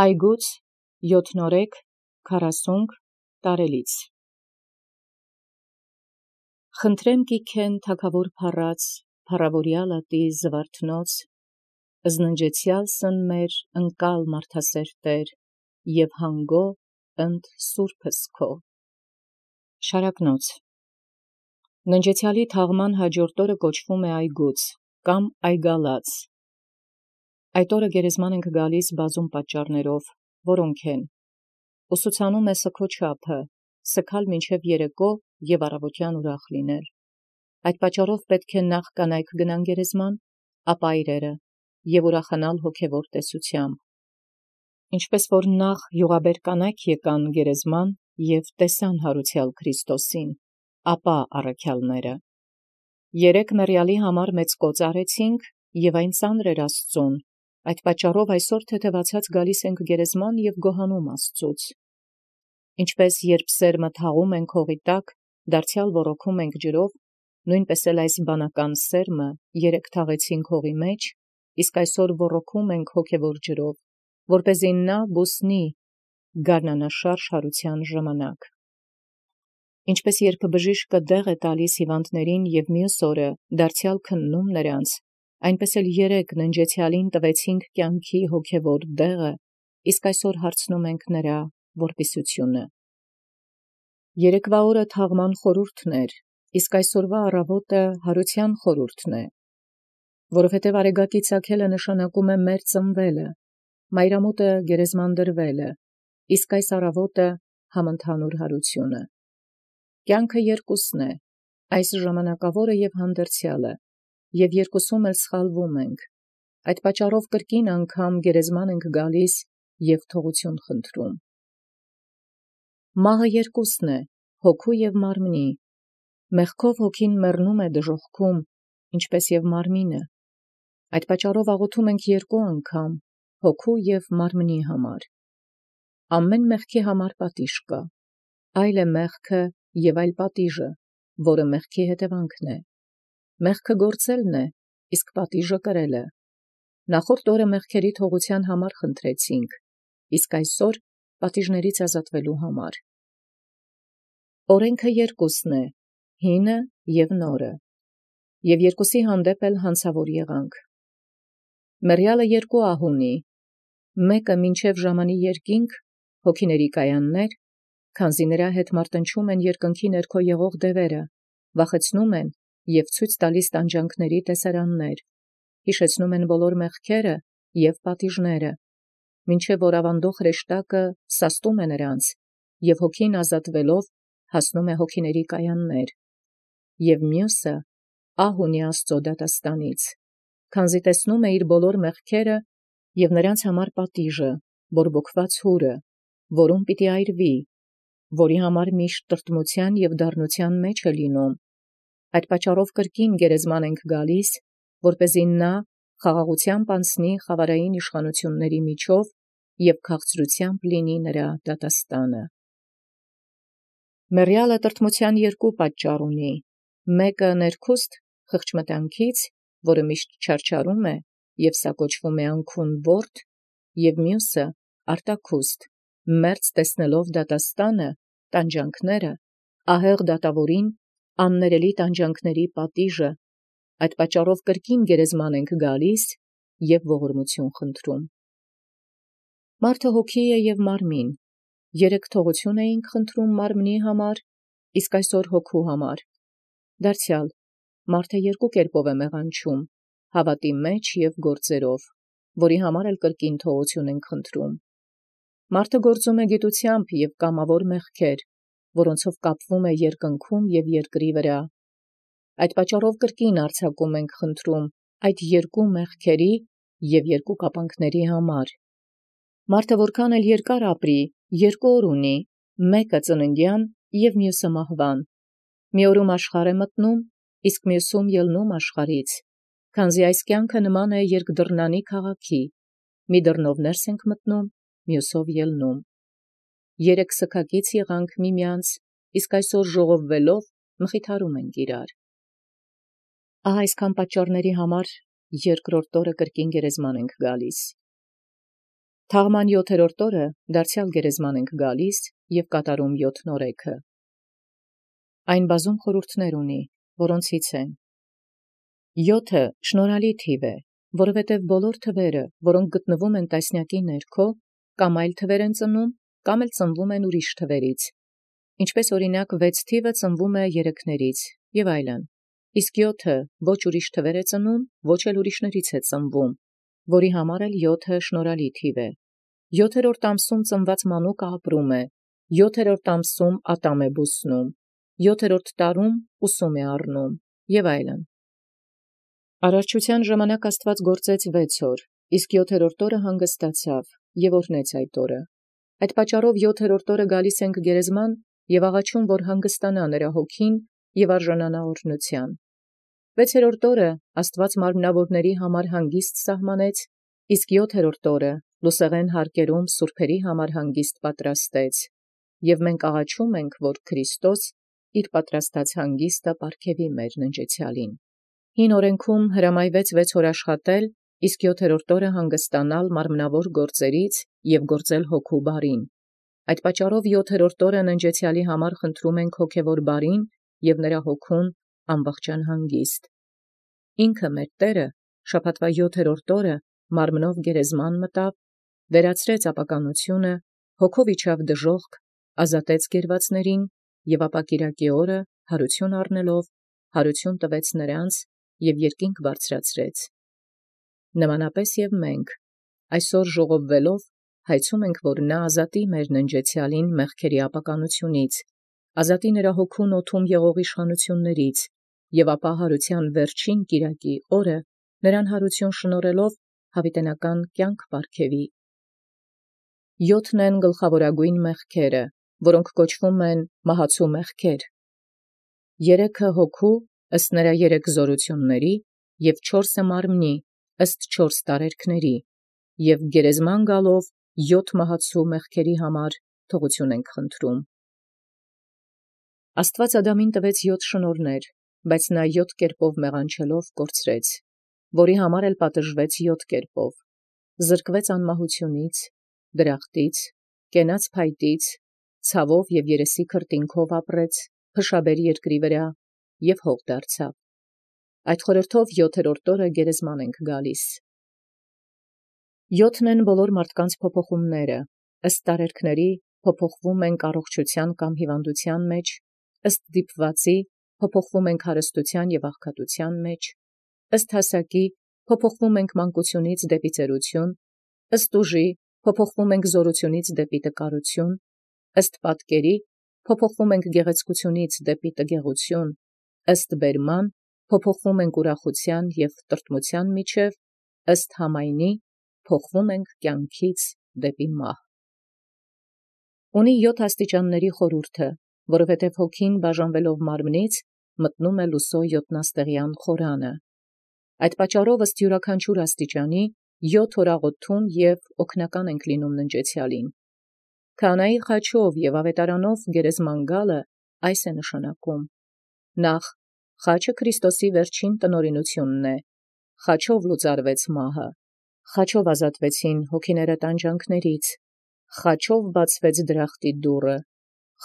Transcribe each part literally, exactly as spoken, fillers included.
Այգուց յոթնորեք քառասունք տարելից։ Խնդրեմ գիքեն թագավոր փառած, փառավորյալ ատի զվարթնոց, զննջեցյալ սնմեր ընկալ մարդասեր Տեր, և հանգո ընդ սուրբս քո։ Շարակնոց։ Ննջեցյալի թաղման հաջորդ օրը կոչվում է այգուց, կամ այգալաց։ Այդ օրը գերեզման ենք գալիս բազում պատճառներով, որոնք են. ուսուցանում է սգո չափը, սգալ մինչև երեկո և առավոտյան ուրախ լինել։ Այդ պատճառով պետք է նախ կանայք գնան գերեզման, ապա այրերը, և ուրախանալ հոգևոր տեսությամբ։ Ինչպես որ նախ յուղաբեր կանայք եկան գերեզման և տեսան հարուցյալ Քրիստոսին, ապա առաքյալները։ Երեկ մեռյալի համար մեծ կոծ արեցինք, և այն ծանր էր Աստծուն, այդ պատճառով այսօր թեթևացած գալիս ենք գերեզման և գոհանում Աստծուց։ Ինչպես երբ սերմը թաղում ենք հողի տակ, դարձյալ ոռոգում ենք ջրով, նույնպես էլ այս բանական սերմը երեկ թաղեցինք հողի մեջ, իսկ այսօր ոռոգում ենք հոգևոր ջրով, որպեսզի նա բուսնի գարնանաշարժ հարության ժամանակ։ Ինչպես երբ բժիշկը դեղ է տալիս հիվանդներին և մյուս օրը դարձյալ քննում նրանց, այնպես էլ երեկ ննջեցյալին տվեցինք կյանքի հոգևոր դեղը, իսկ այսօր հարցնում ենք նրա որպիսությունը։ Երեկվա օրը թաղման խորհուրդն էր, իսկ այսօրվա առավոտը հարության խորհուրդն է, որովհետև արեգակի ծագելը նշանակում է մեր ծնվելը, մայրամուտը գերեզման դրվելը, իսկ այս առավոտը համընդհանուր հարությունը։ Կյանքը երկուսն է, այս ժամանակավորը և հանդերձյալը, և երկուսում էլ սխալվում ենք, այդ պատճառով կրկին անգամ գերեզման ենք գալիս և թողություն խնդրում։ Մահը երկուսն է, հոգու և մարմնի, մեղքով հոգին մեռնում է դժոխքում, ինչպես և մարմինը, այդ պատճառով աղոթում ենք երկու անգամ, հոգու և մարմնի համար։ Ամեն մեղքի համար պատիժ կա, այլ է մեղքը և այլ պատիժը, որը մեղքի հետևանքն է։ Մեղքը գործելն է, իսկ պատիժը կրելը։ Նախորդ օրը մեղքերի թողության համար խնդրեցինք, իսկ այսօր պատիժներից ազատվելու համար։ Օրենքը երկուսն է, հինը և նորը, և երկուսի հանդեպ էլ հանցավոր եղանք։ Մեռյալը երկու ահ ունի, մեկը մինչև ժամանի երկինք, հոգիների կայաններ, քանզի նրա հետ մարտնչում են երկնքի ներքո եղող դևերը, վախեցնում են և ցույց տալիս տանջանքների տեսարաններ, հիշեցնում են բոլոր մեղքերը և պատիժները, մինչև որ ավանդող հրեշտակը սաստում է նրանց, և հոգին ազատվելով հասնում է հոգիների կայաններ, և մյուսը ահ ունի Աստծո դատաստանից, քանզի տեսնում է իր բոլոր մեղքերը և նրանց համար պատիժը, բորբոքված հուրը, որում պիտի այրվի, որի համար միշտ տրտմության և դառնության մեջ է լինում։ Այդ պատճառով կրկին գերեզման ենք գալիս, որպեսզի նա խաղաղությամբ անցնի խավարային իշխանությունների միջով և քաղցրությամբ լինի նրա դատաստանը։ Մեռյալը տրտմության երկու պատճառ ունի, մեկը ներքուստ խղճմտանքից, որը միշտ չարչարում է, և սա կոչվում է անքուն ворդ, և մյուսը արտաքուստ, մերձ տեսնելով դատաստանը, տանջանքները, ահեղ դատավորին, աններելի տանջանքների պատիժը, այդ պատճառով կրկին գերեզման ենք գալիս և ողորմություն խնդրում։ Մարդը հոգի է և մարմին, երեկ թողություն էինք խնդրում մարմնի համար, իսկ այսօր հոգու համար։ Դարձյալ, մարդը երկու կերպով է մեղանչում, հավատի մեջ և գործերով, որի համար էլ կրկին թողություն ենք խնդրում։ Մարդը գործում է գիտությամբ և կամավոր մեղքեր, որոնցով կապվում է երկնքում և երկրի վրա։ Այդ պատճառով կրկին արձակում ենք խնդրում այդ երկու մեղքերի և երկու կապանքների համար։ Մարդը որքան էլ երկար ապրի, երկու օր ունի, մեկը ծննդյան և մյուսը մահվան։ Մի օրում աշխարհ է մտնում, իսկ մյուսում ելնում աշխարհից, քանզի այս կյանքը նման է երկդռնանի քաղաքի, մի դռնով ներս ենք մտնում, մյուսով ելնում։ Երեկ սգակից եղանք միմյանց, իսկ այսօր ժողովվելով մխիթարում ենք իրար։ Ահա այսքան պատճառների համար երկրորդ օրը կրկին գերեզման ենք գալիս։ Թաղման յոթերորդ օրը դարձյալ գերեզման ենք գալիս և կատարում յոթ նորեքը։ Այն բազում խորհուրդներ ունի, որոնցից են. յոթը շնորհալի թիվ է, որովհետև բոլոր թվերը, որոնք գտնվում են տասնյակի ներքո, կամ այլ թվեր են ծնում, կամ էլ ծնվում են ուրիշ թվերից, ինչպես օրինակ վեց թիվը ծնվում է երեքներից, և այլն, իսկ յոթը ոչ ուրիշ թվեր է ծնում, ոչ էլ ուրիշներից է ծնվում, որի համար էլ յոթը շնորհալի թիվ է։ Յոթերորդ ամսում ծնված մանուկը ապրում է, յոթերորդ ամսում ատամ է բուսնում, յոթերորդ տարում ուսում է առնում, և այլն։ Արարչության ժամանակ Աստված գործեց վեց օր, իսկ յոթերորդ օրը հանգստացավ և օրհնեց այդ օրը։ Այդ պատճառով յոթերորդ օրը գալիս ենք գերեզման և աղաչում, որ հանգստանա նրա հոգին և արժանանա օրհնության։ Վեցերորդ օրը Աստված մարմնավորների համար հանգիստ սահմանեց, իսկ յոթերորդ օրը լուսեղեն հարկերում սուրբերի համար հանգիստ պատրաստեց, և մենք աղաչում ենք, որ Քրիստոս իր պատրաստած հանգիստը պարգևի մեր ննջեցյալին։ Հին օրենքում հրամայվեց վեց օր աշխատել, իսկ յոթերորդ օրը հանգստանալ մարմնավոր գործերից և գործել հոգու բարին։ Այդ պատճառով յոթերորդ օրը ննջեցյալի համար խնդրում ենք հոգևոր բարին և նրա հոգուն ամբողջան հանգիստ։ Ինքը մեր Տերը շաբաթվա յոթերորդ օրը մարմնով գերեզման մտավ, վերացրեց ապականությունը, հոգով իջավ դժոխք, ազատեց գերվածներին և ապա կիրակի օրը հարություն առնելով հարություն տվեց նրանց և երկինք բարձրացրեց։ Նմանապես և մենք այսօր ժողովվելով հայցում ենք, որ նա ազատի մեր ննջեցյալին մեղքերի ապականությունից, ազատի նրա հոգուն օդում եղող իշխանություններից և ապա հարության վերջին կիրակի օրը նրան հարություն շնորհելով հավիտենական կյանք պարգևի։ Յոթն են գլխավորագույն մեղքերը, որոնք կոչվում են մահացու մեղքեր, երեքը հոգու ըստ նրա երեք զորությունների և չորսը մարմնի ըստ չորս տարերքների, և գերեզման գալով յոթ մահացու մեղքերի համար թողություն ենք խնդրում։ Աստված Ադամին տվեց յոթ շնորհներ, բայց նա յոթ կերպով մեղանչելով կորցրեց, որի համար էլ պատժվեց յոթ կերպով, զրկվեց անմահությունից, դրախտից, կենաց փայտից, ցավով և երեսի քրտինքով ապրեց, փշաբեր երկրի վրա և հող դարձավ։ Այդ խորհրդով յոթերորդ օրը գերեզման ենք գալիս։ Յոթն են բոլոր մարդկանց փոփոխումները, ըստ տարերքների փոփոխվում ենք առողջության կամ հիվանդության մեջ, ըստ դիպվածի փոփոխվում ենք հարստության և աղքատության մեջ, ըստ հասակի փոփոխվում ենք մանկությունից դեպի ծերություն, ըստ ուժի փոփոխվում ենք զորությունից դեպի տկարություն, ըստ պատկերի փոփոխվում ենք գեղեցկությունից դեպի տգեղություն, ըստ բերման փոփոխվում ենք ուրախության և տրտմության միջև, ըստ համայնի փոխվում ենք կյանքից դեպի մահ։ Ունի յոթ աստիճանների խորհուրդը, որովհետև հոգին բաժանվելով մարմնից մտնում է լուսո յոթնաստեղյան խորանը։ Այդ պատճառով ըստ յուրաքանչյուր աստիճանի յոթ օր աղոթում և օգնական ենք լինում ննջեցյալին։ Քահանայի խաչով և ավետարանով գերեզման գալը այս է նշանակում. նախ խաչը Քրիստոսի վերջին տնօրինությունն է, խաչով լուծարվեց մահը, խաչով ազատվեցին հոգիները տանջանքներից, խաչով բացվեց դրախտի դուռը,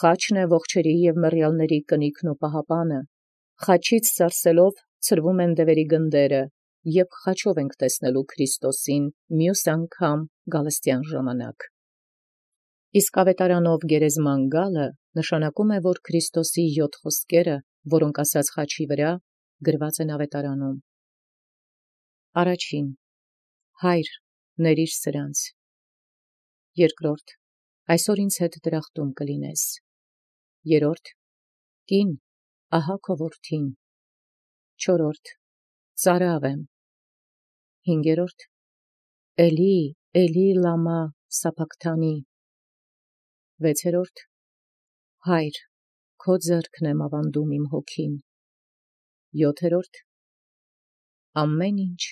խաչն է ողջերի և մեռյալների կնիքն ու պահապանը, խաչից սարսելով ցրվում են դևերի գնդերը, և խաչով ենք տեսնելու Քրիստոսին մյուս անգամ գալստյան ժամանակ։ Իսկ ավետարանով գերեզման գալը նշանակում է, որ Քրիստոսի յոթ խոսքերը, որոնք ասաց խաչի վրա, գրված են ավետարանում։ Առաջին. Հայր, ներիր սրանց։ Երկրորդ. այսօր ինձ հետ դրախտում կլինես։ Երրորդ. կին, ահա քո որդին։ Չորրորդ. ծարավ եմ։ Հինգերորդ. Էլի, Էլի լամա սաբաքթանի։ Վեցերորդ. Հայր, քո ձեռքն եմ ավանդում իմ հոգին։ Յոթերորդ. ամեն ինչ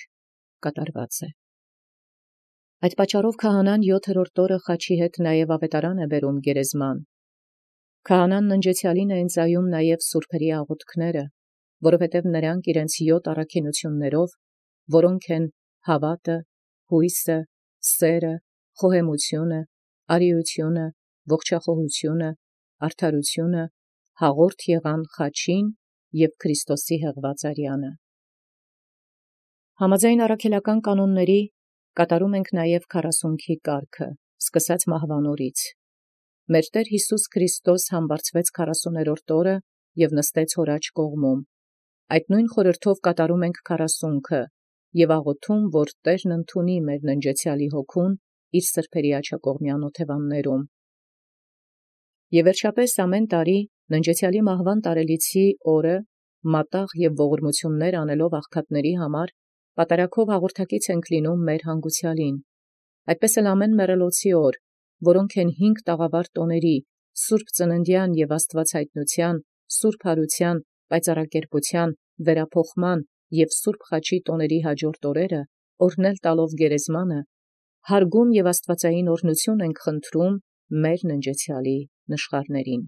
կատարված է։ Այդ պատճառով քահանան յոթերորդ օրը խաչի հետ նաև ավետարան է բերում գերեզման։ Քահանան ննջեցյալին է ընծայում նաև սուրբերի աղոթքները, որովհետև նրանք իրենց յոթ առաքինություններով, որոնք են հավատը, հույսը, սերը, խոհեմությունը, արիությունը, ողջախոհությունը, արդարությունը, հաղորդ եղան խաչին և Քրիստոսի հղված արյանը։ Համաձայն առաքելական կանոնների կատարում ենք նաև քառասունքի կարգը, սկսած մահվան օրից։ Մեր Տեր Յիսուս Քրիստոս համբարձվեց քառասուներորդ օրը և նստեց հոր աջ կողմում։ Այդ նույն խորհրդով կատարում ենք քառասունքը և աղոթում, որ Տերն ընդունի մեր ննջեցեալի հոգուն իր սրբերի աջակողմյան օթևաններում։ Եւ վերջապես ամեն տարի ննջեցեալի մահվան տարելիցի օրը մատաղ եւ ողորմություններ անելով աղքատների համար պատարագով հաղորդակից ենք լինում մեր հանգուցյալին։ Այդպես էլ ամեն մեռելոցի օր, որոնք են հինգ տաղավար տոների, սուրբ ծննդյան եւ աստուածհայտնութեան, սուրբ հարության, պայծառակերպության, վերափոխման եւ սուրբ խաչի տոների հաջորդ օրերը, օրհնել տալով գերեզմանը, հարգում եւ աստուածային օրհնություն ենք խնդրում մեր ննջեցեալի նշխարներին։